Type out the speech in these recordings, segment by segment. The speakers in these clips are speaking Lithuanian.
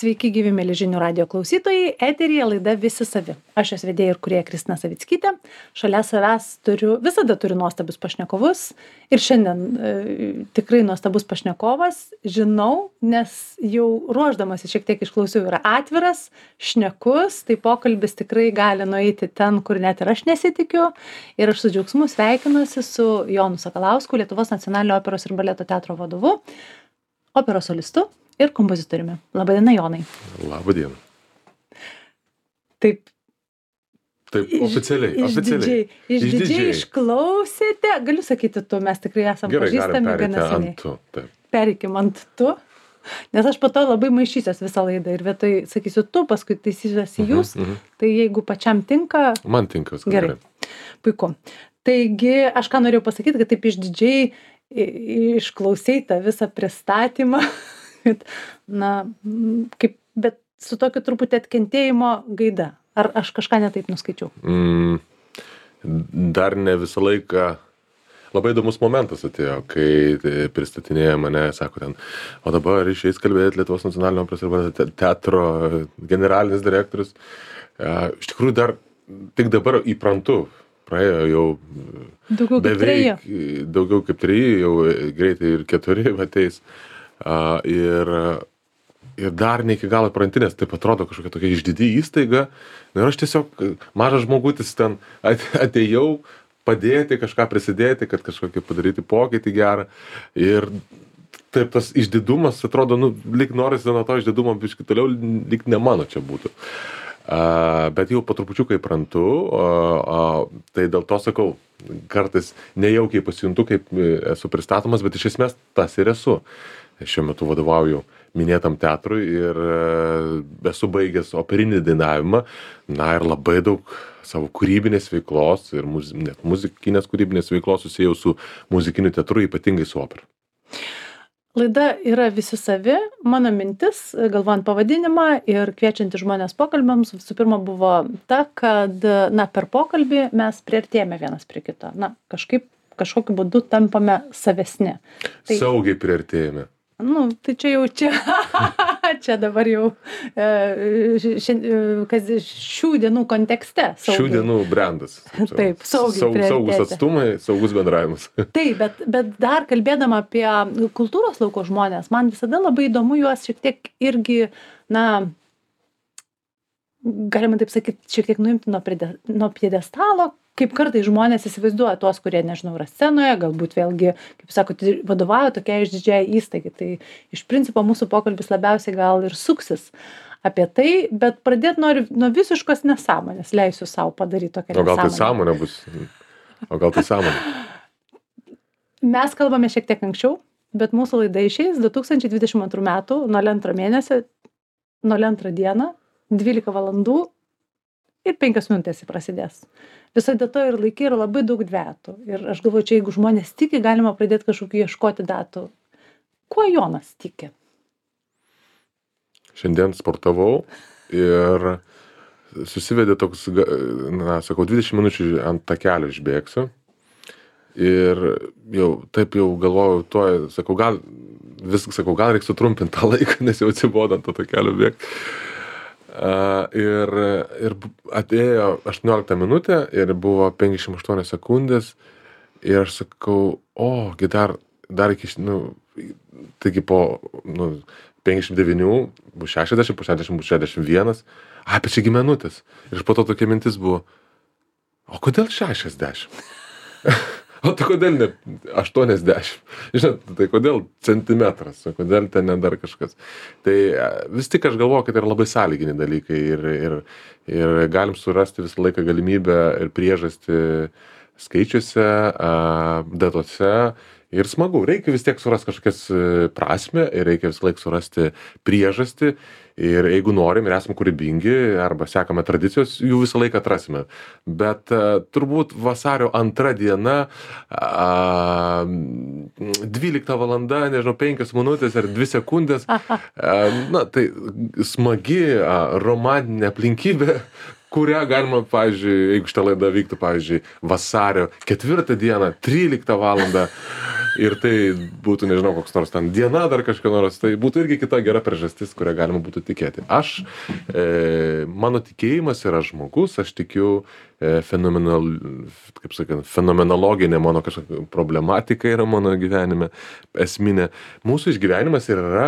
Sveiki, gyvi mėly žinių radijo klausytojai, eteryje laida Visi savi. Aš jos vedėja ir kūrėja Kristina Savickytė. Šalia savęs visada turiu nuostabius pašnekovus. Ir šiandien tikrai nuostabus pašnekovas. Žinau, nes jau ruošdamasi šiek tiek išklausiau, yra atviras, šnekus, tai pokalbis tikrai gali nueiti ten, kur net ir aš nesitikiu. Ir aš su džiaugsmu sveikinuosi su Jonu Sakalausku, Lietuvos nacionalinio operos ir baleto teatro vadovu, operos solistu ir kompozitoriumi. Labadiena, Jonai. Labadiena. Taip, oficialiai. Išdidžiai išklausėte. Galiu sakyti tu, mes tikrai esame pažįstami gana seniai. Pereikim ant tu, nes aš po to labai maišysiuos visą laidą ir vietoj sakysiu tu, paskui taisysiuosi jūs, tai jeigu pačiam tinka... Man tinka viskas gerai. Puiku. Taigi, aš ką norėjau pasakyti, kad taip išdidžiai išklausei tą visą pristatymą, na, kaip, bet su tokiu truputį atkentėjimo gaida. Ar aš kažką netaip nuskaičiau? Dar ne visą laiką. Labai įdomus momentas atėjo, kai pristatinėja mane, sako ten, o dabar išeis kalbėti Lietuvos nacionalinio operos ir baleto teatro generalinis direktorius. Iš tikrųjų dar tik dabar įprantu. Praėjo jau daugiau kaip 3, jau greitai ir 4 ateis. Ir dar ne iki galo prantinės, taip atrodo kažkokia tokia išdidi įstaiga. Ir aš tiesiog mažas žmogutis ten atėjau padėti, kažką prisidėti, kad kažkokį padaryti pokytį gerą. Ir taip tas išdidumas atrodo, lyg norisi nuo to išdidumo biškį toliau, lyg ne mano čia būtų. Bet jau po trupučiuką įprantu, tai dėl to sakau, kartais nejaukiai pasijuntu, kaip esu pristatomas, bet iš esmės tas ir esu. Šiuo metu vadovauju minėtam teatrui ir esu baigęs operinį dainavimą, ir labai daug savo kūrybinės veiklos ir net muzikinės kūrybinės veiklos susijau su muzikiniu teatru, ypatingai su opera. Laida yra Visi savi. Mano mintis, galvojant pavadinimą ir kviečianti žmonės pokalbiams, visų pirma buvo ta, kad per pokalbį mes priartėjame vienas prie kito. Kažkokiu būdu tampame savesni. Saugiai priartėjame. Tai čia dabar jau šių dienų kontekste. Šių dienų brandas. Taip, saugus atstumai, saugus bendravimas. Taip, bet dar kalbėdama apie kultūros lauko žmonės, man visada labai įdomu juos šiek tiek irgi, galima taip sakyti, šiek tiek nuimti nuo pjedestalo, kaip kartais žmonės įsivaizduoja tuos, kurie, nežinau, yra scenoje, galbūt vėlgi, kaip sakote, vadovauja tokia išdidžiai įstaigai. Tai iš principo mūsų pokalbis labiausiai gal ir suksis apie tai, bet pradėti noriu nuo visiškos nesąmonės, leisiu savo padaryti tokią nesąmonę. O gal tai sąmonė bus? O gal tai sąmonė? Mes kalbame šiek tiek anksčiau, bet mūsų laida išeis 2022 metų, 02 mėnesio, 02 dieną, 12 valandų ir 5 minutės prasidės. Visai data ir laikai yra labai daug dvetų. Ir aš galvoju, čia jeigu žmonės tiki, galima pradėti kažkokiu ieškoti datų. Kuo Jonas tiki? Šiandien sportavau ir susivedė toks, 20 minučių ant takelio išbėgsiu. Ir jau galvojau, gal reiks sutrumpinti tą laiką, nes jau atsibodo ant to takelio bėgti. Ir atėjo 18 minutė ir buvo 58 sekundės ir aš sakau, dar iki, taigi po 59 bus 60, po 60 bus 61, apie čia minutės. Ir po to tokia mintis buvo, o kodėl 60? O tai kodėl ne 80? Žinot, tai kodėl centimetras, o kodėl ten ne dar kažkas? Tai vis tik aš galvoju, kad tai yra labai sąlyginiai dalykai ir galim surasti visą laiką galimybę ir priežastį skaičiuose, datose. Ir smagu, reikia vis tiek surasti kažkokias prasmę ir reikia visą laiką surasti priežastį. Ir jeigu norim ir esame kūrybingi arba sekame tradicijos, jų visą laiką atrasime. Bet turbūt vasario 2 diena, 12 valanda, 5 minutės ar 2 sekundės, tai smagi romantinė aplinkybė, kurią galima, pavyzdžiui, jeigu šitą laidą vyktų, pavyzdžiui, vasario 4 dieną, 13 valandą, ir tai būtų, nežinau, koks nors ten diena dar kažką nors, tai būtų irgi kita gera priežastis, kurią galima būtų tikėti. Mano tikėjimas yra žmogus, aš tikiu fenomenologinė mano kažkokia problematika yra mano gyvenime esminė. Mūsų išgyvenimas yra,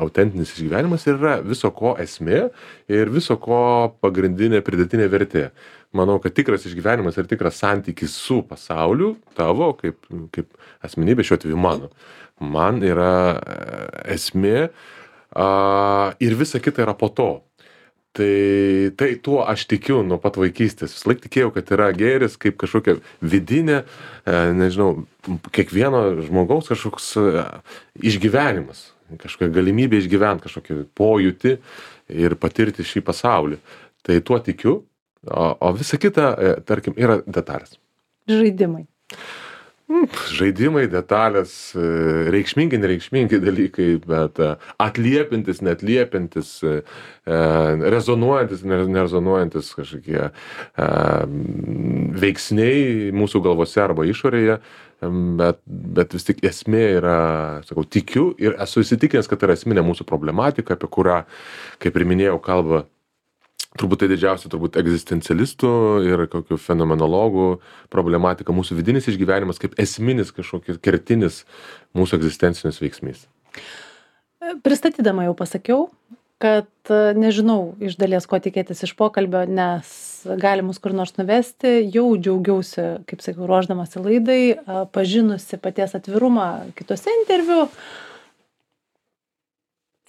autentinis išgyvenimas yra viso ko esmė ir viso ko pagrindinė pridėtinė vertė. Manau, kad tikras išgyvenimas ir tikras santykis su pasauliu tavo, kaip asmenybė, šiuo atveju mano. Man yra esmė ir visa kita yra po to. Tai tuo aš tikiu nuo pat vaikystės. Vis laik tikėjau, kad yra gėris kaip kažkokia vidinė, nežinau, kiekvieno žmogaus kažkoks išgyvenimas, kažkokia galimybė išgyventi kažkokį pojūtį ir patirti šį pasaulį. Tai tuo tikiu, o visa kita, tarkim, yra detalės. Žaidimai. Žaidimai, detalės, reikšmingi, nereikšmingi dalykai, bet atliepintis, neatliepintis, rezonuojantis, nerezonuojantis kažkokie veiksniai mūsų galvose arba išorėje, bet vis tik esmė yra, sakau, tikiu ir esu įsitikinęs, kad tai yra esminė mūsų problematika, apie kurią, kaip ir minėjau, kalba turbūt tai didžiausia egzistencialistų ir kokių fenomenologų problematika, mūsų vidinis išgyvenimas kaip esminis kažkokios kertinis mūsų egzistencinis veiksmys. Pristatydama jau pasakiau, kad nežinau iš dalies, ko tikėtis iš pokalbio, nes gali mus kur nors nuvesti. Jau džiaugiausi, kaip sakiau, ruošdamasi laidai, pažinusi paties atvirumą kitose interviu.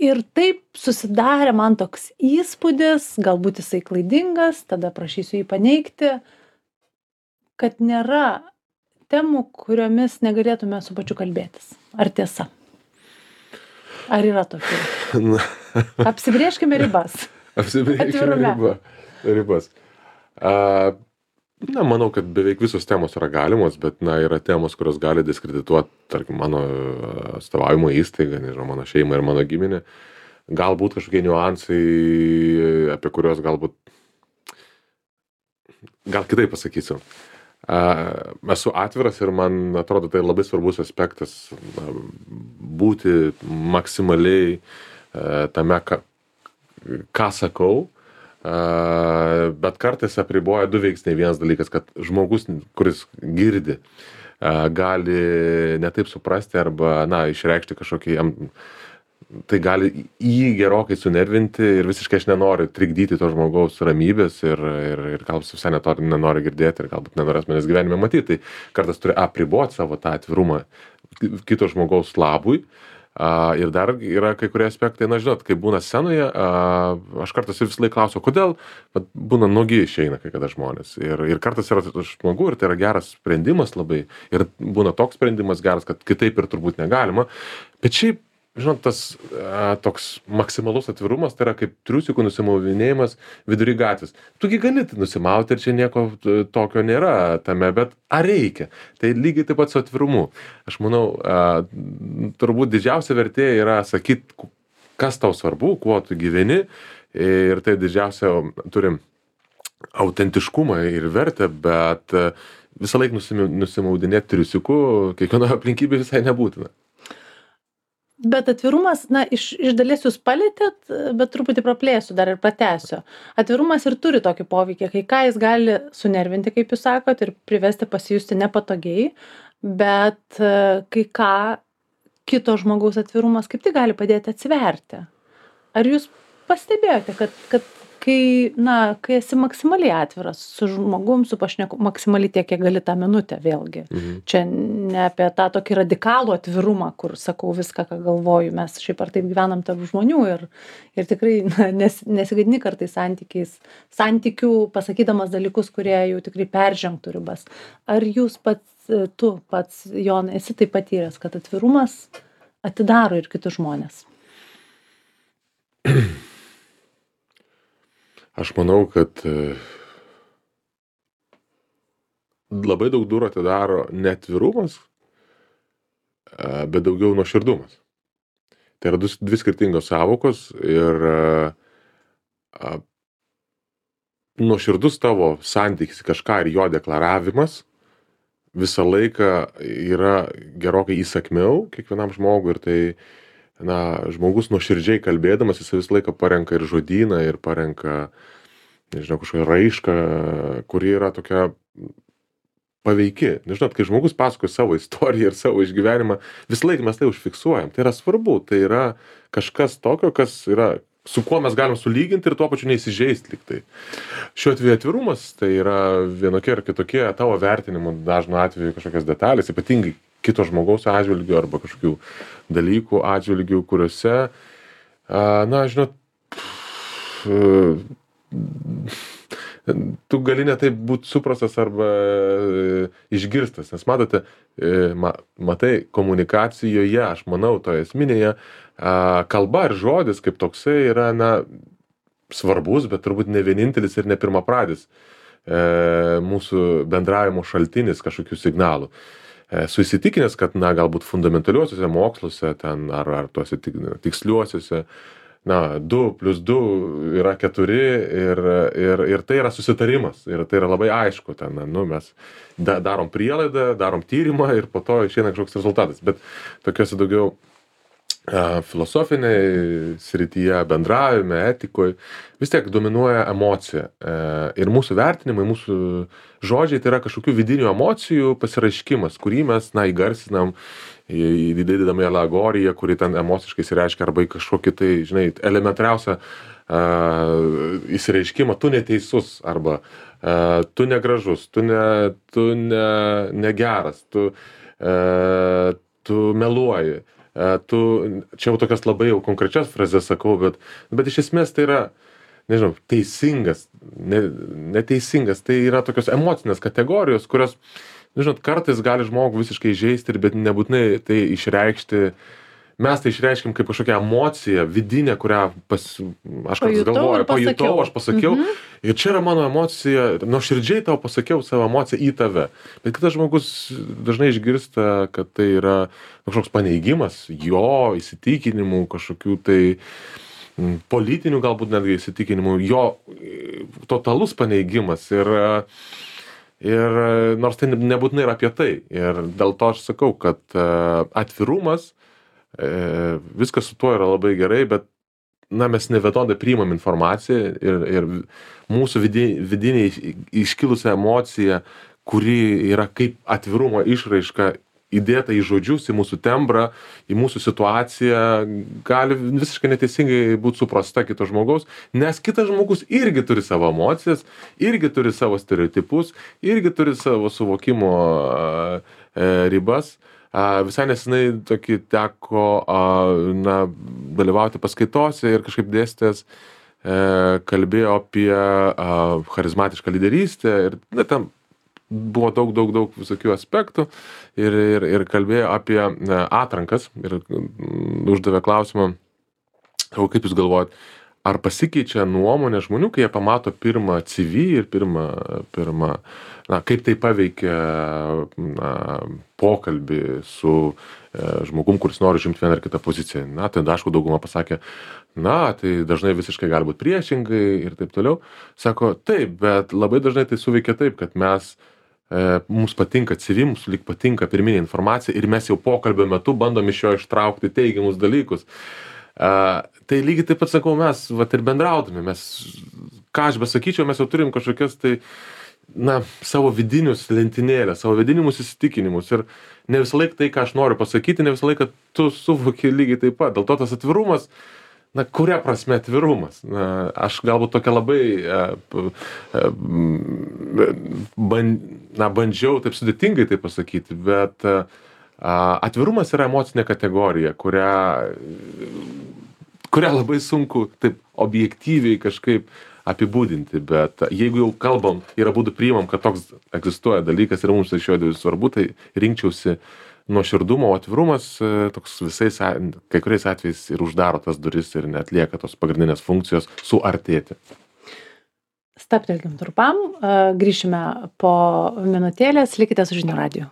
Ir taip susidarė man toks įspūdis, galbūt jisai klaidingas, tada prašysiu jį paneigti, kad nėra temų, kuriomis negalėtume su pačiu kalbėtis. Ar tiesa? Ar yra tokių? Apsibrėžkime ribas. Apsibrėžkime ribas. Manau, kad beveik visos temos yra galimos, bet yra temos, kurios gali diskredituoti, tarkim, mano atstovavimo įstaigą, nežinau, mano šeimą ir mano giminę. Galbūt kažkokie niuansai, apie kuriuos gal kitaip pasakysiu. Esu atviras ir man atrodo tai labai svarbus aspektas būti maksimaliai tame, ką sakau. Bet kartais apriboja du veiksniai. Vienas dalykas, kad žmogus, kuris girdi, gali netaip suprasti arba, išreikšti kažkokį, tai gali jį gerokai sunervinti ir visiškai aš nenoriu trikdyti to žmogaus ramybės ir galbūt visai nenori girdėti ir galbūt nenorės manęs gyvenime matyti. Tai kartais turi apriboti savo tą atvirumą kito žmogaus labui. Ir dar yra kai kurie aspektai, žinot, kai būna scenoje, aš kartais vis laik klausiu, kodėl būna nuogi išeina kai kada žmonės. Ir kartais yra žmogų ir tai yra geras sprendimas labai. Ir būna toks sprendimas geras, kad kitaip ir turbūt negalima. Bet šiaip, žinot, tas toks maksimalus atvirumas, tai yra kaip triusikų nusimauvinėjimas vidury gatvės. Tugi gali nusimauti ir čia nieko tokio nėra tame, bet ar reikia? Tai lygiai taip pat su atvirumu. Aš manau, turbūt didžiausia vertė yra sakyti, kas tau svarbu, kuo tu gyveni, ir tai didžiausia turim autentiškumą ir vertę, bet visą laiką nusimaudinėti triusikų kiekvienoje aplinkybėje visai nebūtina. Bet atvirumas, iš dalies jūs palėtėt, bet truputį praplėsiu dar ir pratęsiu. Atvirumas ir turi tokį poveikį, kai ką jis gali sunervinti, kaip jūs sakot, ir privesti pasijusti nepatogiai, bet kai ką kito žmogaus atvirumas kaip tik gali padėti atsiverti. Ar jūs pastebėjote, kad kai esi maksimaliai atviras su žmogum, su pašneku, maksimaliai tiek, kiek gali tą minutę vėlgi. Čia ne apie tą tokį radikalų atvirumą, kur sakau viską, ką galvoju. Mes šiaip ar taip gyvenam tarp žmonių ir tikrai nesigadini kartais santykių, pasakydamas dalykus, kurie jau tikrai peržengtų ribas. Ar tu pats, Jonai, esi taip patyręs, kad atvirumas atidaro ir kitus žmonės? Aš manau, kad labai daug durų atidaro ne atvirumas, bet daugiau nuoširdumas. Tai yra dvi skirtingos sąvokos ir nuoširdus tavo santykis kažką ir jo deklaravimas visą laiką yra gerokai įsakmiau kiekvienam žmogui ir tai, na, žmogus nuoširdžiai kalbėdamas, jis visą laiką parenka ir žodyną, ir parenka, nežinau, kažkokią raišką, kuri yra tokia paveiki. Nežinot, kai žmogus pasakoja savo istoriją ir savo išgyvenimą, visą laiką mes tai užfiksuojam. Tai yra svarbu, tai yra kažkas tokio, kas yra, su kuo mes galim sulyginti ir tuo pačiu neįsižeisti lyg tai. Šiuo atveju atvirumas tai yra vienokie ar kitokie tavo vertinimų dažnu atveju kažkokios detalės, ypatingai kito žmogaus atžvilgiu arba kažkokių dalykų atžvilgių, kuriuose, na, žinot, tu gali ne taip būt suprastas arba išgirstas, nes matote, matai, komunikacijoje, aš manau, toje esminėje, kalba ir žodis kaip toksai yra, na, svarbus, bet turbūt ne vienintelis ir ne pirmapradis mūsų bendravimo šaltinis kažkokių signalų. Esu įsitikinęs, kad, na, galbūt fundamentaliuosiuose moksluose ten, ar tuose tiksliuosiuose, na, 2+2 yra 4 ir tai yra susitarimas ir tai yra labai aišku ten, nu, mes darom prielaidą, darom tyrimą ir po to išeina kažkoks rezultatas, bet tokiuose daugiau filosofinėje srityje, bendravime, etikoje, vis tiek dominuoja emocija. Ir mūsų vertinimai, mūsų žodžiai tai yra kažkokių vidinių emocijų pasiraiškimas, kurį mes, na, įgarsinam, įdėdami alegoriją, kuri ten emociškai įsireiškia arba į kažkokį tai, žinai, elementariausią įsireiškimą, tu neteisus arba tu negražus, tu negeras, tu meluoji. Čia jau tokias labai jau konkrečias frazes sakau, bet iš esmės tai yra, nežinau, teisingas, neteisingas, tai yra tokios emocinės kategorijos, kurios, nežinot, kartais gali žmogų visiškai žeisti, bet nebūtinai tai išreikšti. Mes tai išreiškim kaip kažkokią emociją vidinę, kurią aš kartais galvoju, pajutau, aš pasakiau. Ir čia yra mano emocija, nuoširdžiai tau pasakiau savo emociją į tave. Bet kitas žmogus dažnai išgirsta, kad tai yra kažkoks paneigimas jo įsitikinimų, kažkokių tai politinių galbūt netgi įsitikinimų, jo totalus paneigimas. Ir nors tai nebūtinai yra apie tai. Ir dėl to aš sakau, kad atvirumas, viskas su tuo yra labai gerai, bet, na, mes nevienodai priimam informaciją ir mūsų vidiniai iškilusią emociją, kuri yra kaip atvirumo išraiška įdėta į žodžius, į mūsų tembrą, į mūsų situaciją, gali visiškai neteisingai būti suprasta kito žmogaus, nes kitas žmogus irgi turi savo emocijas, irgi turi savo stereotipus, irgi turi savo suvokimo ribas. Visai nesenai tokį teko, na, dalyvauti paskaitose ir kažkaip dėstytojas kalbėjo apie charizmatišką lyderystę ir, na, ten buvo daug visokių aspektų ir kalbėjo apie atrankas ir uždavė klausimą, kaip jūs galvojat, ar pasikeičia nuomonė žmonių, kai jie pamato pirmą CV ir pirmą, na, kaip tai paveikia, na, pokalbį su žmogum, kuris nori žimti vieną ar kitą poziciją. Na, tai aišku, dauguma pasakė, na, tai dažnai visiškai gali būti priešingai ir taip toliau. Sako, taip, bet labai dažnai tai suveikia taip, kad mums patinka CV, mums lyg patinka pirminė informacija ir mes jau pokalbio metu bandom iš jo ištraukti teigiamus dalykus. Tai lygiai taip pat sakau, mes vat ir bendraudami, mes, ką aš besakyčiau, mes jau turim kažkokias tai, na, savo vidinius lentynėlės, savo vidinimus įsitikinimus ir ne visą laiką tai, ką aš noriu pasakyti, ne visą laiką tu suvoki lygiai taip pat. Dėl to tas atvirumas, na, kuria prasme atvirumas? Na, aš galbūt tokia labai bandžiau taip sudėtingai tai pasakyti, bet atvirumas yra emocinė kategorija, kurią labai sunku taip objektyviai kažkaip apibūdinti, bet jeigu jau kalbam ir abudu priimam, kad toks egzistuoja dalykas ir mums tai šiuo atveju svarbu, tai rinkčiausi nuoširdumo, o atvirumas toks kai kuriais atvejais ir uždaro tas duris ir neatlieka tos pagrindinės funkcijos suartėti. Stabtelkim trumpam, grįšime po minutėlės, likite su Žinių radiju.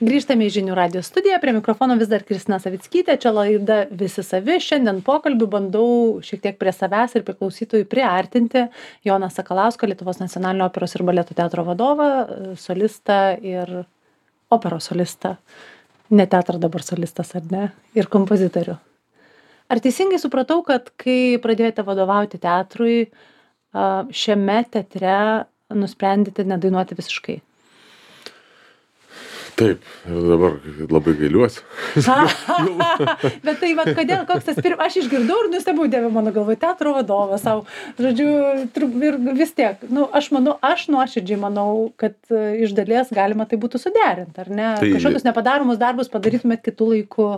Grįžtame į Žinių radijo studiją, prie mikrofono vis dar Kristina Savickytė, čia laida Visi savi. Šiandien pokalbių bandau šiek tiek prie savęs ir prie klausytojų priartinti Joną Sakalauską, Lietuvos nacionalinio operos ir baleto teatro vadovą, solistą ir operos solistą. Ne teatro dabar solistas, ar ne? Ir kompozitorių. Ar teisingai supratau, kad kai pradėjote vadovauti teatrui, šiame teatre nusprendėte nedainuoti visiškai? Taip, ir dabar labai gailiuosi. Bet tai va, kodėl, koks tas aš išgirdau ir nustebau, Dieve, mano galvoje, teatro vadovas savo, žodžiu, ir vis tiek, aš nuoširdžiai manau, kad iš dalies galima tai būtų suderinti, ar ne? Kažkokius nepadaromus darbus padarytumėt kitų laikų.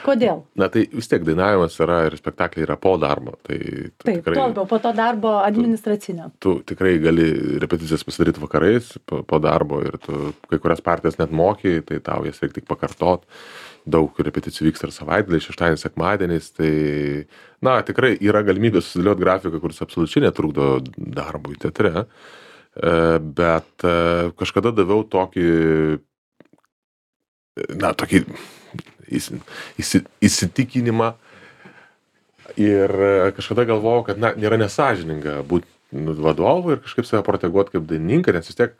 Kodėl? Na tai vis tiek dainavimas yra ir spektakliai yra po darbo. Taip, tuo labiau, po to darbo administracinio. Tu tikrai gali repeticijas pasidaryti vakarais po darbo ir tu kai kurias partijas net moki, tai tau jas reikia tik pakartot. Daug repeticijų vyksta ir savaitgalį, šeštadienį, sekmadieniais, tai na tikrai yra galimybė susidėlioti grafiką, kuris absoliučiai netrukdo darbui teatre, bet kažkada daviau tokį įsitikinimą ir kažkada galvojau, kad nėra nesąžininga būti vadovu ir kažkaip save proteguoti kaip dainininką, nes vis tiek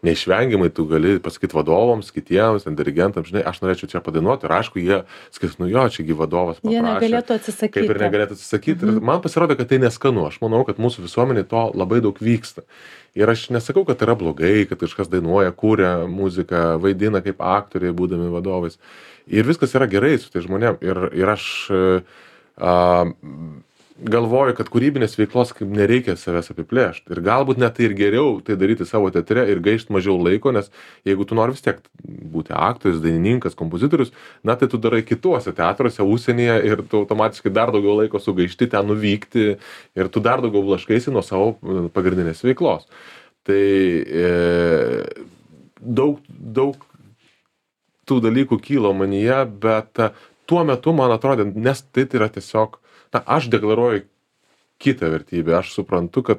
neišvengiamai tu gali pasakyti vadovams, kitiems, dirigentams, žinai, aš norėčiau čia padainuoti ir aišku, jie sakys, čiagi vadovas paprašė. Jie negalėtų atsisakyti. Kaip ir negalėtų atsisakyti. Ir man pasirodė, kad tai neskanu. Aš manau, kad mūsų visuomenė to labai daug vyksta. Ir aš nesakau, kad tai yra blogai, kad kažkas dainuoja, kūrė muziką, vaidina kaip aktoriai, būdami vadovais. Ir viskas yra gerai su tai žmonėm. Ir aš galvoju, kad kūrybinės veiklos kaip nereikia savęs apiplėšti. Ir galbūt net tai ir geriau tai daryti savo teatre ir gaišti mažiau laiko, nes jeigu tu nori vis tiek būti aktorius, dainininkas, kompozitorius, tai tu darai kituose teatruose, užsienyje ir tu automatiškai dar daugiau laiko sugaišti ten nuvykti ir tu dar daugiau blaškaisi nuo savo pagrindinės veiklos. Tai daug tų dalykų kylo manyje, bet tuo metu man atrodė, nes tai yra tiesiog aš deklaruoju kitą vertybę, aš suprantu, kad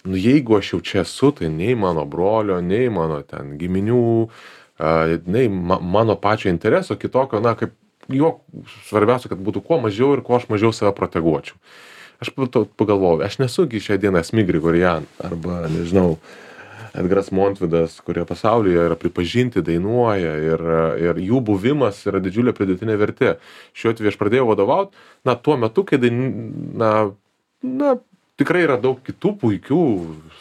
jeigu aš jau čia esu, tai nei mano brolio, nei mano ten giminių, nei mano pačio intereso kitokio, kaip jo svarbiausia, kad būtų kuo mažiau ir kuo aš mažiau save proteguočiau. Aš pagalvojau, aš nesu iki šią dieną Asmik Grigorian arba, nežinau, Edgaras Montvidas, kurie pasaulyje yra pripažinti, dainuoja ir jų buvimas yra didžiulė pridėtinė vertė. Šiuo atveju aš pradėjau vadovauti, tuo metu, kai tikrai yra daug kitų puikių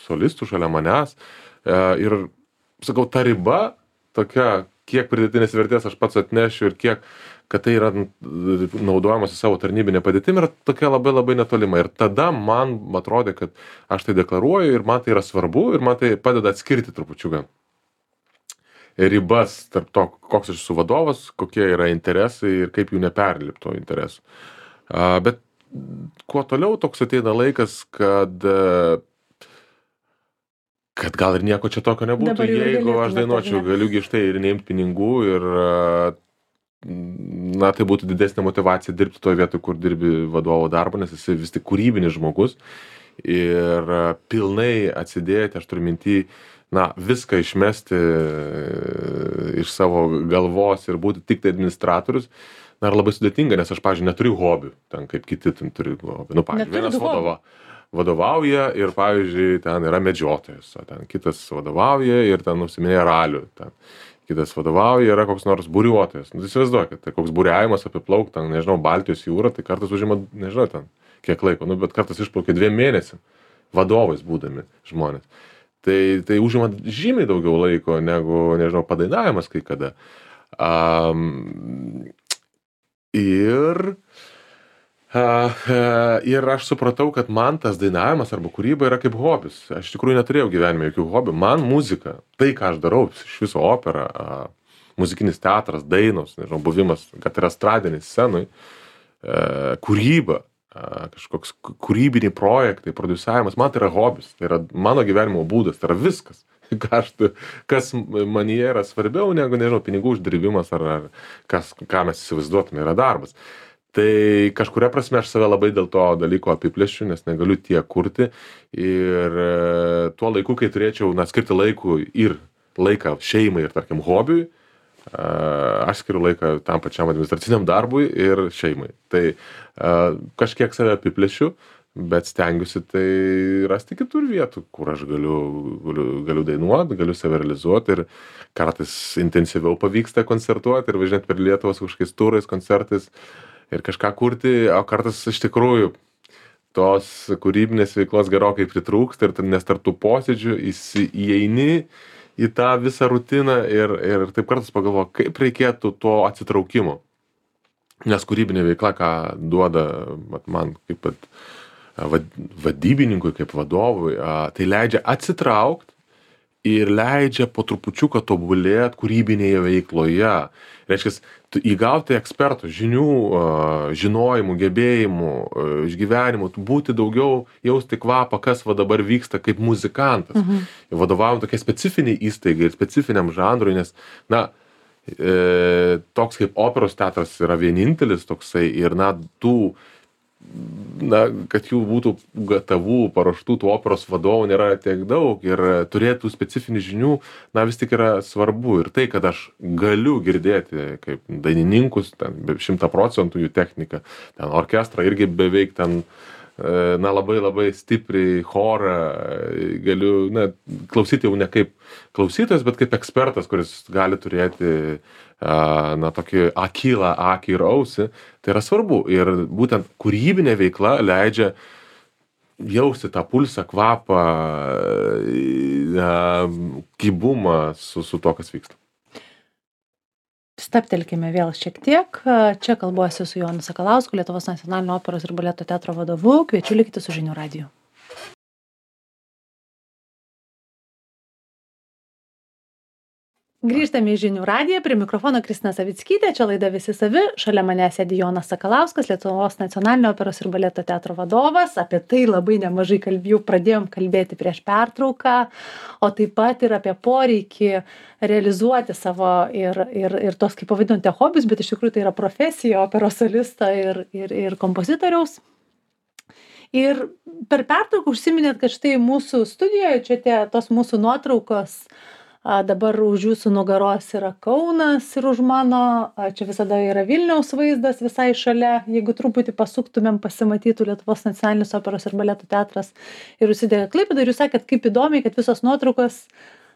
solistų šalia manęs ir, sakau, ta riba tokia, kiek pridėtinės vertės aš pats atnešiu ir kiek, kad tai yra naudojamas į savo tarnybinę padėtimą, yra tokia labai labai netolima. Ir tada man atrodė, kad aš tai deklaruoju ir man tai yra svarbu ir man tai padeda atskirti trupučiuką ribas tarp to, koks aš esu vadovas, kokie yra interesai ir kaip jų neperlipti to interesų. Bet kuo toliau toks ateina laikas, kad gal ir nieko čia tokio nebūtų, jeigu aš dainuočiau, galiu štai ir neimti pinigų ir tai būtų didesnė motyvacija dirbti toje vietoje, kur dirbi vadovo darbą, nes esi vis tik kūrybinis žmogus ir pilnai atsidėti, aš turiu minty, viską išmesti iš savo galvos ir būti tik tai administratorius, yra labai sudėtinga, nes aš, pavyzdžiui, neturiu hobių, ten kaip kiti turi hobių. Pavyzdžiui, vienas vadovauja ir, pavyzdžiui, ten yra medžiotojas, ten kitas vadovauja ir ten užsiminėja ralių, ten kitas vadovauja, yra koks nors buriuotojas. Įsivaizduokit, tai koks buriavimas apiplauk, ten, nežinau, Baltijos jūrą, tai kartais užima, nežinau, ten kiek laiko, bet kartais išplaukia 2 mėnesiam vadovais būdami žmonės. Tai užima žymiai daugiau laiko negu, nežinau, padainavimas kai kada. Ir aš supratau, kad man tas dainavimas arba kūryba yra kaip hobis. Aš iš tikrųjų neturėjau gyvenime jokių hobių. Man muzika, tai ką aš darau, iš viso opera, muzikinis teatras, dainos, nežinau, buvimas, kad yra estradinės scenai, kūryba, kažkoks kūrybiniai projektai, produsiavimas, man tai yra hobis, tai yra mano gyvenimo būdas, tai yra viskas. Kas manyje yra svarbiau negu, nežinau, pinigų uždirbimas ar ką mes įsivaizduotume yra darbas. Tai kažkuria prasme aš save labai dėl to dalyko apiplėšiu, nes negaliu tiek kurti. Ir tuo laiku, kai turėčiau skirti laikų ir laiką šeimai ir, tarkim, hobiui, aš skiriu laiką tam pačiam administraciniam darbui ir šeimai. Tai kažkiek save apiplėšiu, bet stengiuosi tai rasti kitur vietų, kur aš galiu dainuoti, galiu save realizuoti ir kartais intensyviau pavyksta koncertuoti ir važinėti per Lietuvą su kažkokiais turais, koncertais ir kažką kurti, o kartais iš tikrųjų tos kūrybinės veiklos gerokai pritrūksta ir nes tarp tų posėdžių įeini į tą visą rutiną ir taip kartais pagalvoju, kaip reikėtų to atsitraukimo. Nes kūrybinė veikla, ką duoda man kaip vadybininkui, kaip vadovui, tai leidžia atsitraukti ir leidžia po trupučiuką tobulėti kūrybinėje veikloje. Reiškia, įgauti ekspertų žinių, žinojimų, gebėjimų, išgyvenimų, būti daugiau, jausti kvapą, kas dabar vyksta kaip muzikantas. Vadovaujant tokia specifiniai įstaigai ir specifiniam žanrui, nes, toks kaip operos teatras yra vienintelis toksai ir, kad jų būtų gatavų, paruoštų tų operos vadovų nėra tiek daug ir turėtų specifinių žinių, vis tik yra svarbu. Ir tai, kad aš galiu girdėti kaip dainininkus, ten 100% jų techniką, ten orkestrą irgi beveik ten, labai labai stipriai chorą, galiu, klausyti jau ne kaip klausytojas, bet kaip ekspertas, kuris gali turėti tokį akylą akį ir ausį, tai yra svarbu. Ir būtent kūrybinė veikla leidžia jausti tą pulsą, kvapą, kibumą su to, kas vyksta. Stabtelkime vėl šiek tiek. Čia kalbuosi su Jonu Sakalausku, Lietuvos nacionalinio operos ir baleto teatro vadovu. Kviečiu likti su Žinių radiju. Grįžtame į Žinių radiją, prie mikrofono Kristina Savickytė, čia laida Visi savi, šalia manęs sėdi Jonas Sakalauskas, Lietuvos nacionalinio operos ir baleto teatro vadovas, apie tai labai nemažai pradėjom kalbėti prieš pertrauką, o taip pat ir apie poreikį realizuoti savo ir tos, kaip pavadinote, hobius, bet iš tikrųjų tai yra profesija operos solisto ir kompozitoriaus. Ir per pertrauką užsiminėt, kad štai mūsų studijoje, čia tos mūsų nuotraukos, dabar už jūsų nugaros yra Kaunas ir už mano, čia visada yra Vilniaus vaizdas visai šalia, jeigu truputį pasuktumėm, pasimatytų Lietuvos nacionalinis operos ir baleto teatras ir užsidega Klaipėda, ir jūs sakėt, kaip įdomiai, kad visos nuotraukos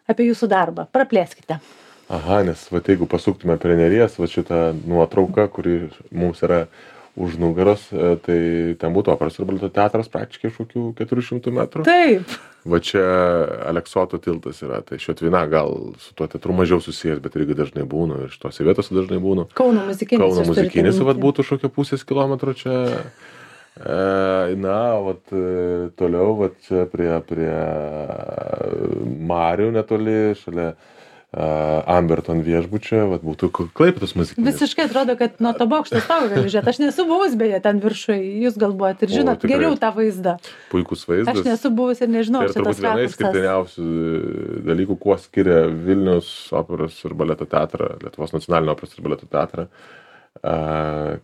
apie jūsų darbą. Praplėskite. Aha, nes jeigu pasuktume prie Neries, šitą nuotrauką, kuri mums yra už nugaros, tai ten būtų operos ir baleto teatras praktiškai kokių 400 metrų. Taip. Va čia Aleksoto tiltas yra, tai Šiotvina gal su tuo teatru mažiau susijęs, bet irgi dažnai būnu ir šitose vietose dažnai būnu. Kauno muzikinis. Būtų šokio pusės kilometro čia. Toliau, čia prie Marių netoli, šalia Amberton viešbučio, būtų Klaipėdos muzikinis. Visiškai atrodo, kad nuo to bokšto stogo gali žiūrėti. Aš nesu buvus beje ten viršui, jūs galvojat ir žinot geriau tą vaizdą. Puikus vaizdas. Aš nesu buvus ir nežinau šitas rakursas. Tai turbūt viena išskirtiniausių dalykų, kuo skiria Vilniaus operos ir baleto teatrą, Lietuvos nacionalinio operos ir baleto teatrą,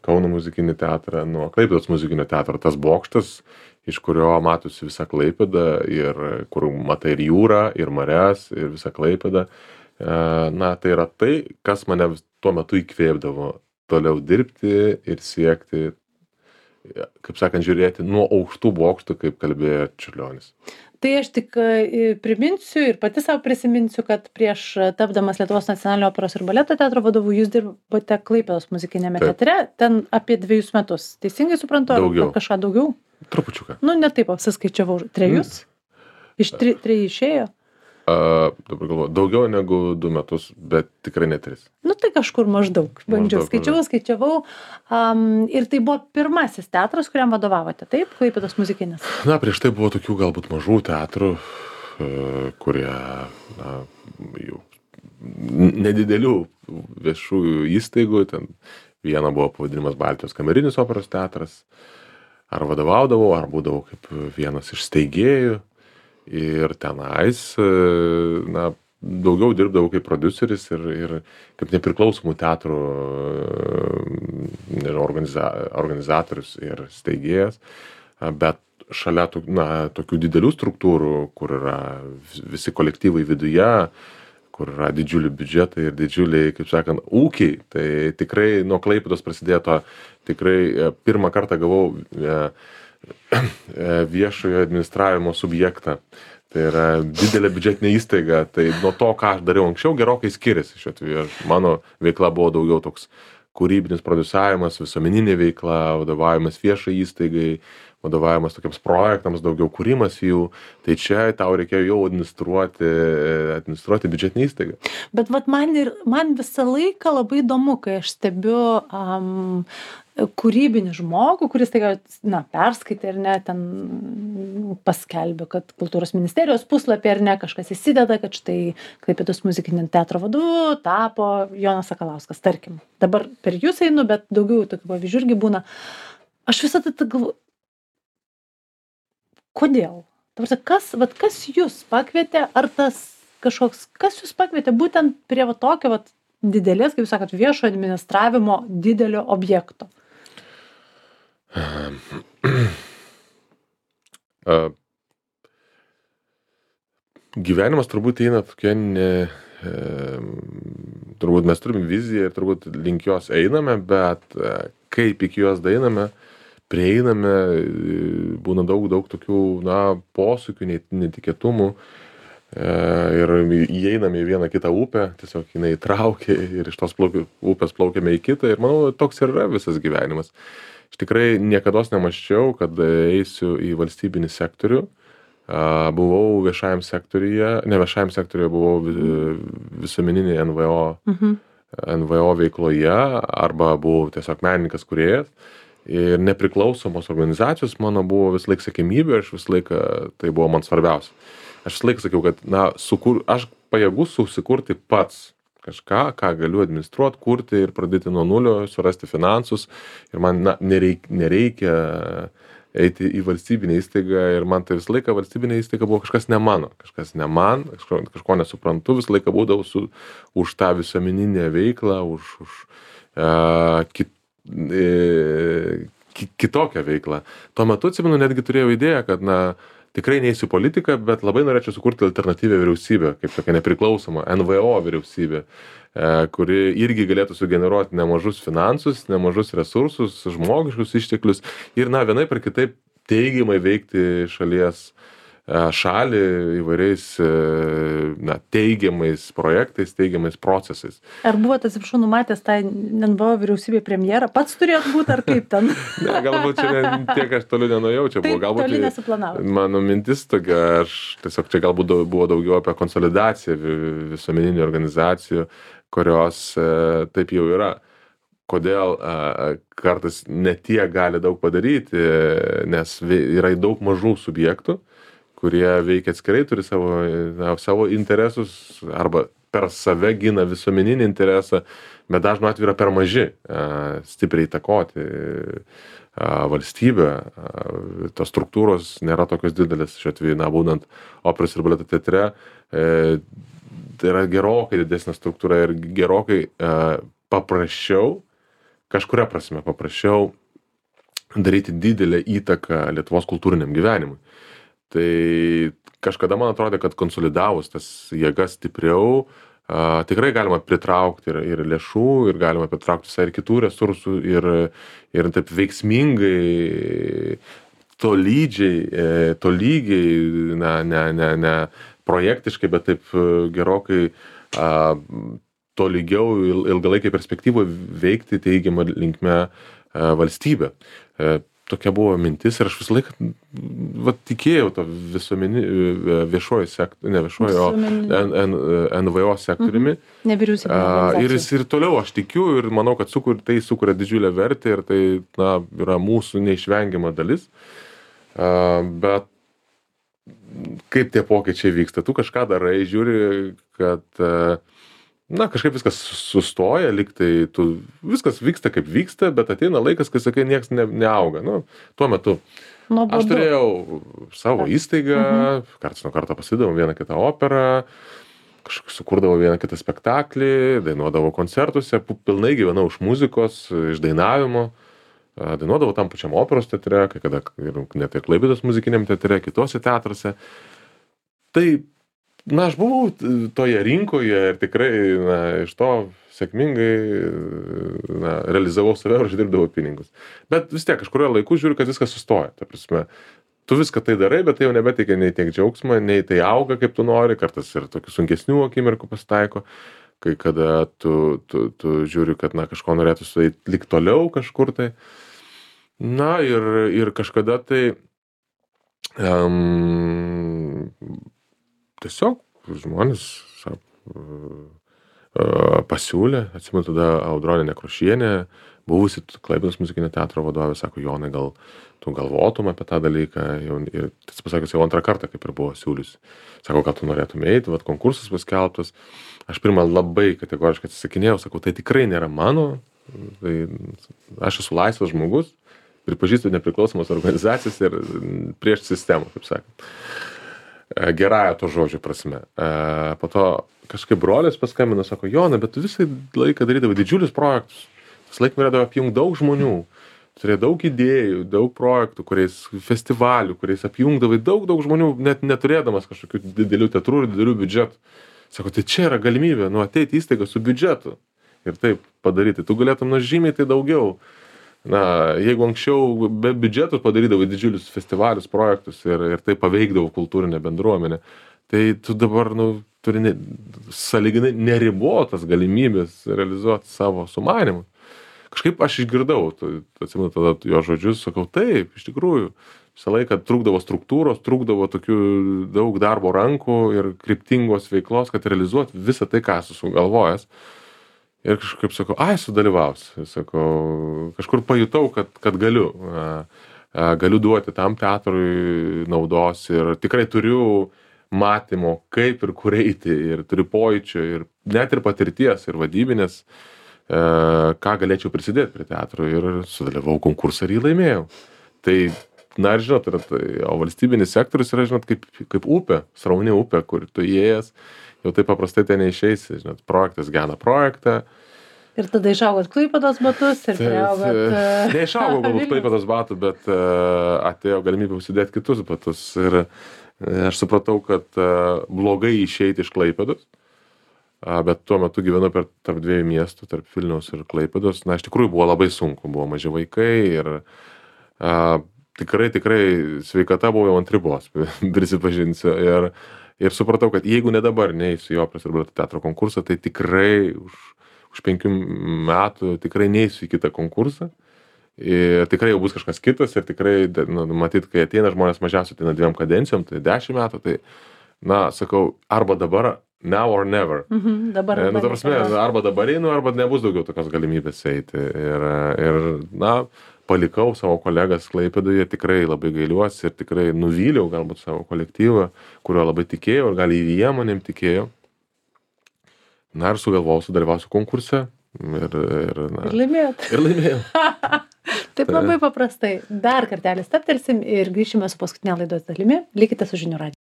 Kauno muzikinį teatrą nuo Klaipėdos muzikinio teatro. Tas bokštas, iš kurio matosi visa Klaipėda ir kur matai ir jūrą, ir marias, ir visa Klaipėda. Tai yra tai, kas mane tuo metu įkvėpdavo toliau dirbti ir siekti, kaip sakant, žiūrėti nuo aukštų bokštų, kaip kalbėjo Čiurlionis. Tai aš tik priminsiu ir pati savo prisiminsiu, kad prieš tapdamas Lietuvos nacionalinio operos ir baleto teatro vadovu, jūs dirbote Klaipėdos muzikinėme teatre, ten apie 2 metus. Teisingai suprantu? Daugiau. Ar kažką daugiau? Trupučiuką. Ne taip apsiskaičiavau. 3? Iš 3 išėjo? Dabar galvoju, daugiau negu 2 metus, bet tikrai ne 3. Tai kažkur maždaug. Bandžiau, skaičiavau. Ir tai buvo pirmasis teatras, kuriam vadovavote, taip? Klaipėdos muzikinis. Prieš tai buvo tokių galbūt mažų teatrų, kurie, jau nedidelių viešųjų įstaigų. Ten viena buvo pavadinimas Baltijos kamerinis operos teatras. Ar vadovaudavau, ar būdavau kaip vienas iš steigėjų. Ir tenais, daugiau dirbdavau kaip prodiuseris ir kaip nepriklausomų teatrų organizatorius ir steigėjas. Bet šalia tokių didelių struktūrų, kur yra visi kolektyvai viduje, kur yra didžiuliai biudžetai ir didžiuliai, kaip sakant, ūkiai. Tai tikrai nuo Klaipėdos prasidėjo to, tikrai pirmą kartą gavau viešojo administravimo subjektą. Tai yra didelė biudžetinė įstaiga, tai nuo to, ką aš dariau anksčiau, gerokai skiriasi šiuo atveju. Mano veikla buvo daugiau toks kūrybinis produsavimas, visuomeninė veikla, vadovavimas viešai įstaigai, vadovavimas tokiams projektams, daugiau kūrimas jų. Tai čia tau reikėjo jau administruoti biudžetinę įstaigą. Bet vat man visą laiką labai įdomu, kai aš stebiu kūrybinį žmogų, kuris perskaitė ar ne, ten paskelbė, kad kultūros ministerijos puslapį ar ne, kažkas įsideda, kad štai Klaipėdos muzikinio teatro vadovu tapo Jonas Sakalauskas, tarkim. Dabar per jūs einu, bet daugiau tokių pavyzdžių irgi būna. Aš visada galvoju, kodėl? Kas jūs pakvietė, ar tas kažkoks, kas jūs pakvietė būtent prie tokio didelės, kaip jūs sakot, viešo administravimo didelio objekto? Gyvenimas turbūt eina tokia, turbūt mes turime viziją ir turbūt link jos einame, bet kaip iki jos daeiname, prieiname, būna daug tokių, posūkių, netikėtumų. Ir įeiname į vieną kitą upę, tiesiog jinai traukia ir iš tos upės plaukiame į kitą ir manau, toks ir yra visas gyvenimas. Aš tikrai niekados nemaščiau, kad eisiu į valstybinį sektorių. Buvau viešajam sektoriuje, buvau visuomeninėje NVO veikloje arba buvau tiesiog menininkas kūrėjas. Ir nepriklausomos organizacijos mano buvo vis laik siekiamybė, aš vis laiką, tai buvo man svarbiausia. Aš vis laik sakiau, kad aš pajėgus susikurti pats kažką, ką galiu administruoti, kurti ir pradėti nuo nulio, surasti finansus. Ir man nereikia eiti į valstybinę įstaigą ir man tai visą laiką valstybinė įstaiga buvo kažkas ne mano, kažko nesuprantu, visą laiką būdavau už tą visuomeninę veiklą, kitokią veiklą. Tuo metu, atsimenu, netgi turėjau idėją, kad tikrai neįsiu politiką, bet labai norėčiau sukurti alternatyvią vyriausybę, kaip tokia nepriklausoma NVO vyriausybė, kuri irgi galėtų sugeneruoti nemažus finansus, nemažus resursus, žmogiškus išteklius ir vienaip ar kitaip teigiamai veikti šalį įvairiais teigiamais projektais, teigiamais procesais. Ar buvote, atsiprašau, numatęs tą NVO vyriausybė premjerą? Pats turėjot būti ar kaip ten? Ne, galbūt čia tiek aš toliau nenujau, čia buvo galbūt toli nesuplanavot. Mano mintis tokia, aš tiesiog čia galbūt buvo daugiau apie konsolidaciją visuomeninių organizacijų, kurios taip jau yra. Kodėl kartais ne tiek gali daug padaryti, nes yra daug mažų subjektų, kurie veikia atskirai, turi savo interesus arba per save gina visuomeninį interesą, bet dažnu atveju yra per maži stipriai įtakoti valstybę. Tos struktūros nėra tokios didelės, šiuo atveju, būnant operos ir baleto teatre, tai yra gerokai didesnė struktūra ir gerokai paprasčiau, kažkuria prasme paprasčiau daryti didelę įtaką Lietuvos kultūriniam gyvenimui. Tai kažkada man atrodė, kad konsolidavus tas jėgas stipriau, tikrai galima pritraukti ir lėšų, ir galima pritraukti visai ir kitų resursų, ir taip veiksmingai, tolygiai, ne projektiškai, bet taip gerokai tolygiau ilgalaikiai perspektyvoje veikti teigiamą linkme valstybę. Tokia buvo mintis ir aš visą laiką tikėjau to viešojo sektoriumi, NVO sektoriumi. Ir ir toliau aš tikiu ir manau, kad tai sukuria didžiulę vertę ir tai yra mūsų neišvengiama dalis. Bet kaip tie pokyčiai vyksta? Tu kažką darai, žiūri, kad kažkaip viskas sustoja, lygtai viskas vyksta kaip vyksta, bet ateina laikas, kai sakai, nieks neauga. Tuo metu aš turėjau savo įstaigą, karts nuo karto pasidavom vieną kitą operą, kažkaip sukurdavau vieną kitą spektaklį, dainuodavau koncertuose, pilnai gyvenau iš muzikos, iš dainavimo, dainuodavau tam pačiam operos teatre, kai kada net ir Klaipėdos muzikiniam teatre, kitose teatruose. Tai na, aš buvau toje rinkoje ir tikrai, na, iš to sėkmingai, na, realizavau save ir uždirbdavau pinigus. Bet vis tiek kažkurio laiku žiūriu, kad viskas sustoja. Ta prasme, tu viską tai darai, bet tai jau nebeteikia nei tiek džiaugsmą, nei tai auga, kaip tu nori, kartais ir tokių sunkesnių akimirkų pasitaiko, kai kada tu žiūri, kad, na, kažko norėtų sueiti lik toliau kažkur tai. Na, ir kažkada tai tiesiog žmonės pasiūlė, atsimenu tada Audronė Nekrošienė, buvusi Klaipėdos muzikinio teatro vadovė, sako, Jonai, gal tu galvotum apie tą dalyką, ir tas pasakęs jau antrą kartą, kaip ir buvo siūliusi. Sako, gal tu norėtum eiti, vat konkursas paskelbtas. Aš pirmą labai kategoriškai atsisakinėjau, sakau, tai tikrai nėra mano, tai aš esu laisvas žmogus, pripažįstu nepriklausomas organizacijas ir prieš sistemą, kaip sakant. Gerąją to žodžio prasme. Po to kažkaip brolis paskambino, sako, Jonai, bet tu visą laiką darydavai didžiulius projektus. Visą laiką norėdavai apjungti daug žmonių, turėjai daug idėjų, daug projektų, festivalių, kuriais apjungdavai daug žmonių, net neturėdamas kažkokių didelių teatrų ir didelių biudžetų. Sako, tai čia yra galimybė, ateiti įstaigą su biudžetu ir taip padaryti. Tu galėtum žymiai tai daugiau. Na, jeigu anksčiau be biudžetų padarydavai didžiulius festivalius, projektus ir tai paveikdavo kultūrinę bendruomenę, tai tu dabar, turi sąlyginai neribotas galimybės realizuoti savo sumanimus. Kažkaip aš išgirdau, atsimenu tada jo žodžius, sakau, taip, iš tikrųjų, visą laiką trūkdavo struktūros, trūkdavo tokių daug darbo rankų ir kryptingos veiklos, kad realizuoti visą tai, ką esu sugalvojęs. Ir kažkaip sakau, sudalyvausiu. Sakau, kažkur pajutau, kad galiu. Galiu duoti tam teatrui naudos ir tikrai turiu matymo, kaip ir kur eiti, ir turiu pojūčio, ir net ir patirties, ir vadybinės, ką galėčiau prisidėti prie teatro. Ir sudalyvau konkursą ir jį laimėjau. Tai, na ir žinot, o valstybinis sektorius yra, žinot, kaip upė, srauni upė, kur tu įėjęs, jau taip paprastai ten neišeisi, žinot, projektas gena projektą. Ir tada išaugot Klaipėdos batus ir priaugot... Neišaugau galbūt Klaipėdos batų, bet atėjo galimybė užsidėti kitus batus. Ir aš supratau, kad blogai išeiti iš Klaipėdos, bet tuo metu gyvenu tarp dviejų miestų, tarp Vilniaus ir Klaipėdos. Na, iš tikrųjų buvo labai sunku, buvo maži vaikai ir tikrai sveikata buvo jau ant ribos, prisipažinsiu. Ir supratau, kad jeigu ne dabar neįsiu į Operos ir baleto teatro konkursą, tai tikrai už 5 metų tikrai neįsiu į kitą konkursą. Ir tikrai jau bus kažkas kitas ir tikrai, matyt, kai ateina žmonės mažiausiai ateina 2 kadencijom, tai 10 metų, tai, na, sakau, arba dabar, now or never. Dabar. Ta prasme, arba dabar einu, arba nebus daugiau tokios galimybės eiti. Ir na, palikau savo kolegas Klaipėdoje, tikrai labai gailiuosi ir tikrai nuvyliau galbūt savo kolektyvą, kurio labai tikėjau ir gal jie manim tikėjo. Na ir sugalvojau, sudalyvausiu konkurse ir laimėjot. Ir laimėjau. Taip labai paprastai. Dar kartelį stabtelsim ir grįšime su paskutinė laidos dalimi. Likite su Žinių radiju.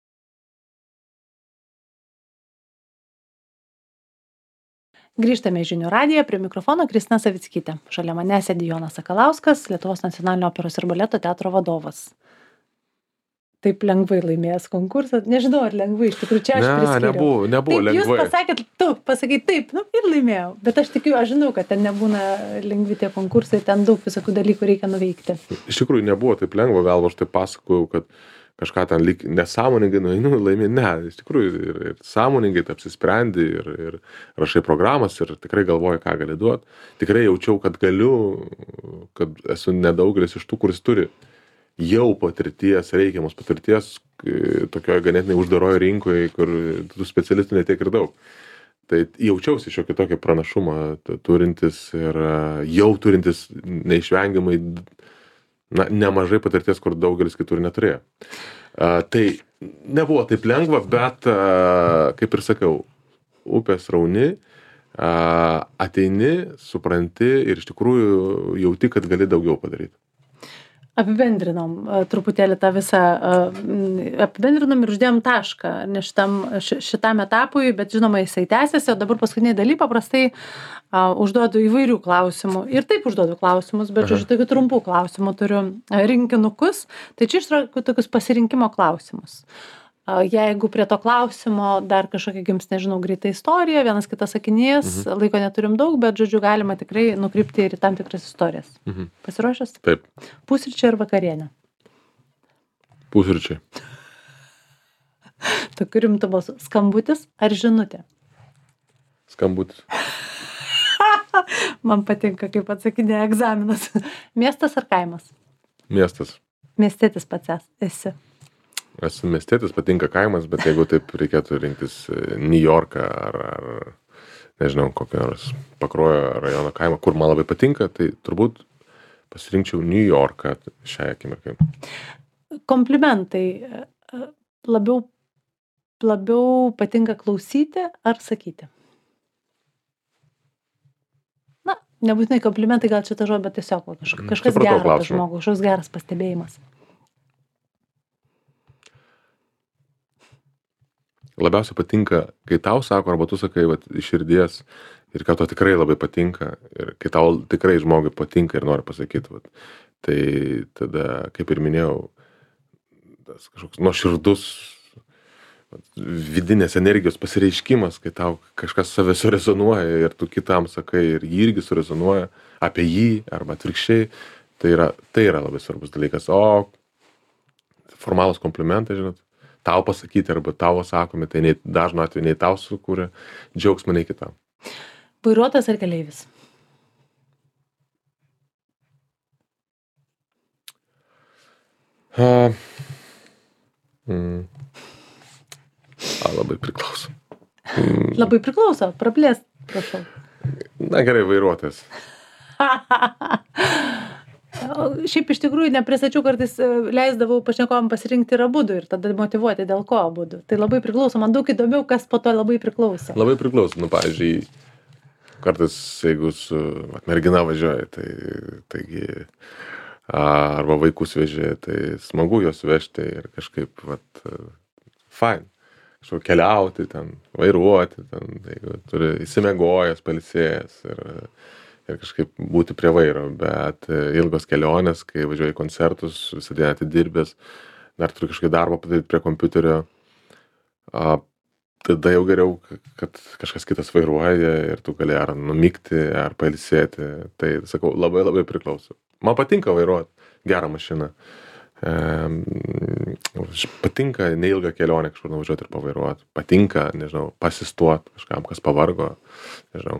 Grįžtame į Žinių radiją, prie mikrofono Kristina Savickytė. Šalia mane sėdi Jonas Sakalauskas, Lietuvos nacionalinio operos ir baleto teatro vadovas. Taip lengvai laimėjęs konkursą. Nežinau, ar lengvai, iš tikrųjų čia aš priskiriau. Nebuvo taip, lengvai. Tu pasakei taip, ir laimėjau. Bet aš tikiu, aš žinau, kad ten nebūna lengvi tie konkursai, ten daug visokių dalykų reikia nuveikti. Iš tikrųjų nebuvo taip lengva, gal aš taip pasakojau, kad kažką ten lyg nesąmoningai nueinu, laimė. Ne, iš tikrųjų ir sąmoningai tai apsisprendi ir rašai programas ir tikrai galvoji, ką gali duoti. Tikrai jaučiau, kad galiu, kad esu nedaugelis iš tų, kuris turi jau patirties, reikiamos patirties, tokioje ganėtinai uždaroje rinkoje, kur tų specialistų netiek ir daug. Tai jaučiausi šiokį tokį pranašumą turintis ir jau turintis neišvengiamai nemažai patirties, kur daugelis kitur neturėjo. Tai nebuvo taip lengva, bet, kaip ir sakiau, upės rauni, ateini, supranti ir iš tikrųjų jauti, kad gali daugiau padaryti. Apibendrinom truputėlį tą visą, apibendrinom ir uždėjom tašką, ne šitam etapui, bet žinoma jisai tęsiasi, o dabar paskutiniai daly paprastai užduodu įvairių klausimų. Ir taip užduodu klausimus, bet žodžiu, tokių trumpų klausimų turiu rinkinukus, tai čia ištraukiu tokius pasirinkimo klausimus. Jeigu prie to klausimo dar kažkokia gims, nežinau, greita istorija, vienas kitas sakinys, laiko neturim daug, bet, žodžiu, galima tikrai nukrypti ir į tam tikras istorijas. Pasiruošęs? Taip. Pusryčiai ar vakarienė? Pusryčiai. Tokiu rimtu balsu. Skambutis ar žinutė? Skambutis. Man patinka, kaip atsakinė egzaminas. Miestas ar kaimas? Miestas. Miestietis pats esi. Esu miestietis, patinka kaimas, bet jeigu taip reikėtų rinktis New Yorką ar nežinau, kokią nors Pakruojo rajono kaimą, kur man labai patinka, tai turbūt pasirinkčiau New Yorką šią akimirką. Komplimentai labiau patinka klausyti ar sakyti? Na, nebūtinai komplimentai, gal čia ta žodė, bet tiesiog kažkas geras apie žmogų, kažkoks geras pastebėjimas. Labiausiai patinka, kai tau sako, arba tu sakai iš širdies ir kad to tikrai labai patinka ir kai tau tikrai žmogui patinka ir nori pasakyti. Tai tada, kaip ir minėjau, tas kažkoks nuoširdus vidinės energijos pasireiškimas, kai tau kažkas savęs surezonuoja ir tu kitam sakai ir jį irgi surezonuoja apie jį arba atvirkščiai, tai yra labai svarbus dalykas. O formalūs komplimentai, žinot, tau pasakyti arba tavo sakomi, tai dažnu atveju nei tau sukūrė džiaugsmą, nei kitam. Vairuotojas ar keleivis? Labai priklauso. Labai priklauso, praplėst, prašau. Na gerai, vairuotojas. Šiaip iš tikrųjų nepristačiau, kartais leisdavau pašnekovam pasirinkti ir abudu ir tada motyvuoti, dėl ko abudu. Tai labai priklauso, man daug įdomiau, kas po to labai priklauso. Labai priklauso, pavyzdžiui, kartais jeigu su mergina važiuoja, taigi arba vaikus vežė, tai smagu juos vežti ir kažkaip, fine. Kažkaip keliauti, ten, vairuoti, ten, jeigu turi įsimegojęs, pailsėjęs ir kažkaip būti prie vairo, bet ilgos kelionės, kai važiuoji į koncertus, visą dieną atidirbęs, dar turi kažkokį darbą padaryti prie kompiuterio, tada jau geriau, kad kažkas kitas vairuoja ir tu gali ar numigti, ar pailsėti. Tai, sakau, labai labai priklauso. Man patinka vairuoti gerą mašiną. Patinka neilgą kelionę kažkur nuvažiuoti ir pavairuoti. Patinka, nežinau, pasistuoti kažkam, kas pavargo, nežinau,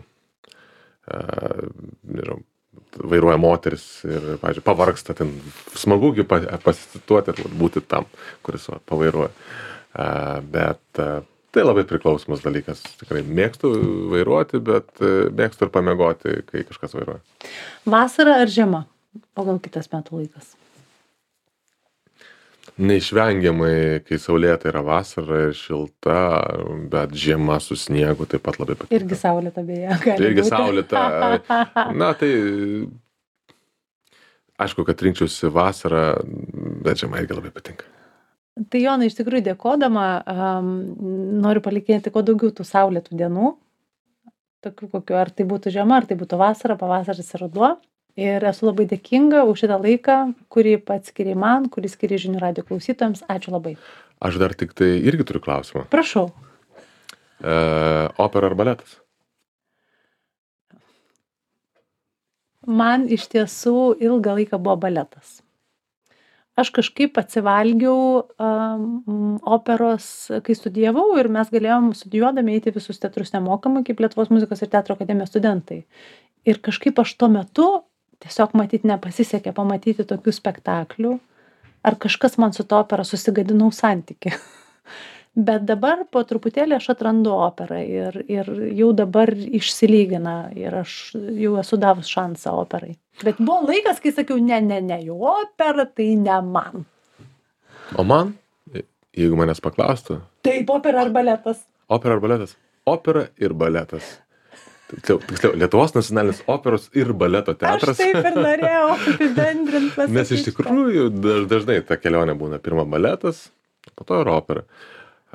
vairuoja moteris ir, pavyzdžiui, pavargsta, ten smagugi pasituoti ir būti tam, kuris pavairuoja. Bet tai labai priklausomas dalykas. Tikrai mėgstu vairuoti, bet mėgstu ir pamiegoti, kai kažkas vairuoja. Vasara ar žiema? O gal kitas metų laikas? Neišvengiamai, kai saulėta yra vasara ir šilta, bet žiema su sniegu taip pat labai patinka. Irgi saulėta beje. Irgi saulėta. Na, tai aišku, kad rinkčiausi vasarą, bet žiema irgi labai patinka. Tai Jonai, iš tikrųjų dėkodama, noriu palinkėti kuo daugiau tų saulėtų dienų, tokių kokių, ar tai būtų žiema, ar tai būtų vasara, pavasaris ir ruduo. Ir esu labai dėkinga už šitą laiką, kurį pats skiriai man, kurį skiriai Žinių radijo klausytojams. Ačiū labai. Aš dar tik tai irgi turiu klausimą. Prašau. Opera ar baletas? Man iš tiesų ilgą laiką buvo baletas. Aš kažkaip atsivalgiau operos, kai studijavau ir mes galėjom studijuodami eiti visus teatrus nemokamai, kaip Lietuvos muzikos ir teatro akademijos studentai. Ir kažkaip aš tuo metu tiesiog nepasisekė pamatyti tokių spektaklių, ar kažkas man su to opera susigadinau santykį. Bet dabar po truputėlį aš atrandu operą ir jau dabar išsilygina ir aš jau esu davus šansą operai. Bet buvo laikas, kai sakiau, ne, jau opera tai ne man. O man, jeigu manęs paklaustų? Taip, opera ar baletas? Opera ar baletas? Opera ir baletas. Tiksliau, Lietuvos nacionalinis operos ir baleto teatras. Aš taip ir norėjau apibendrinti pasakyti. Nes iš tikrųjų dažnai ta kelionė būna pirma baletas, po to ir opera.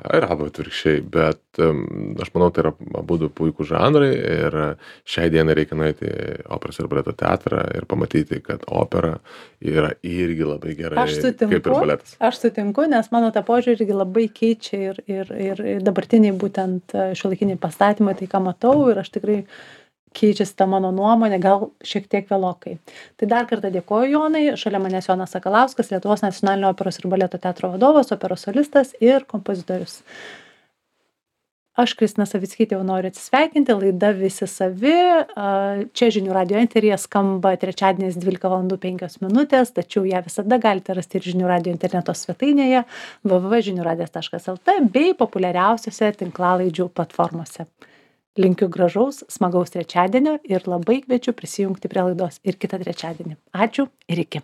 Ir arba atvirkščiai, bet aš manau, tai yra abudu puikūs žanrai ir šiai dienai reikia nueiti į operos ir baleto teatrą ir pamatyti, kad opera yra irgi labai gerai, kaip ir baletas. Aš sutinku, nes mano tą požiūrį irgi labai keičia ir dabartiniai būtent šiuolaikiniai pastatymai, tai ką matau, ir aš tikrai keičiasi ta mano nuomonė, gal šiek tiek vėlokai. Tai dar kartą dėkoju, Jonai. Šalia manęs Jonas Sakalauskas, Lietuvos nacionalinio operos ir baleto teatro vadovas, operos solistas ir kompozitorius. Aš, Kristina Savickytė, jau noriu atsisveikinti. Laida Visi savi. Čia Žinių radijo eteryje skamba trečiadieniais 12:05, tačiau ją visada galite rasti ir Žinių radijo interneto svetainėje www.žiniuradijas.lt bei populiariausiose tinklalaidžių platformose. Linkiu gražaus, smagaus trečiadienio ir labai kviečiu prisijungti prie laidos ir kitą trečiadienį. Ačiū ir iki.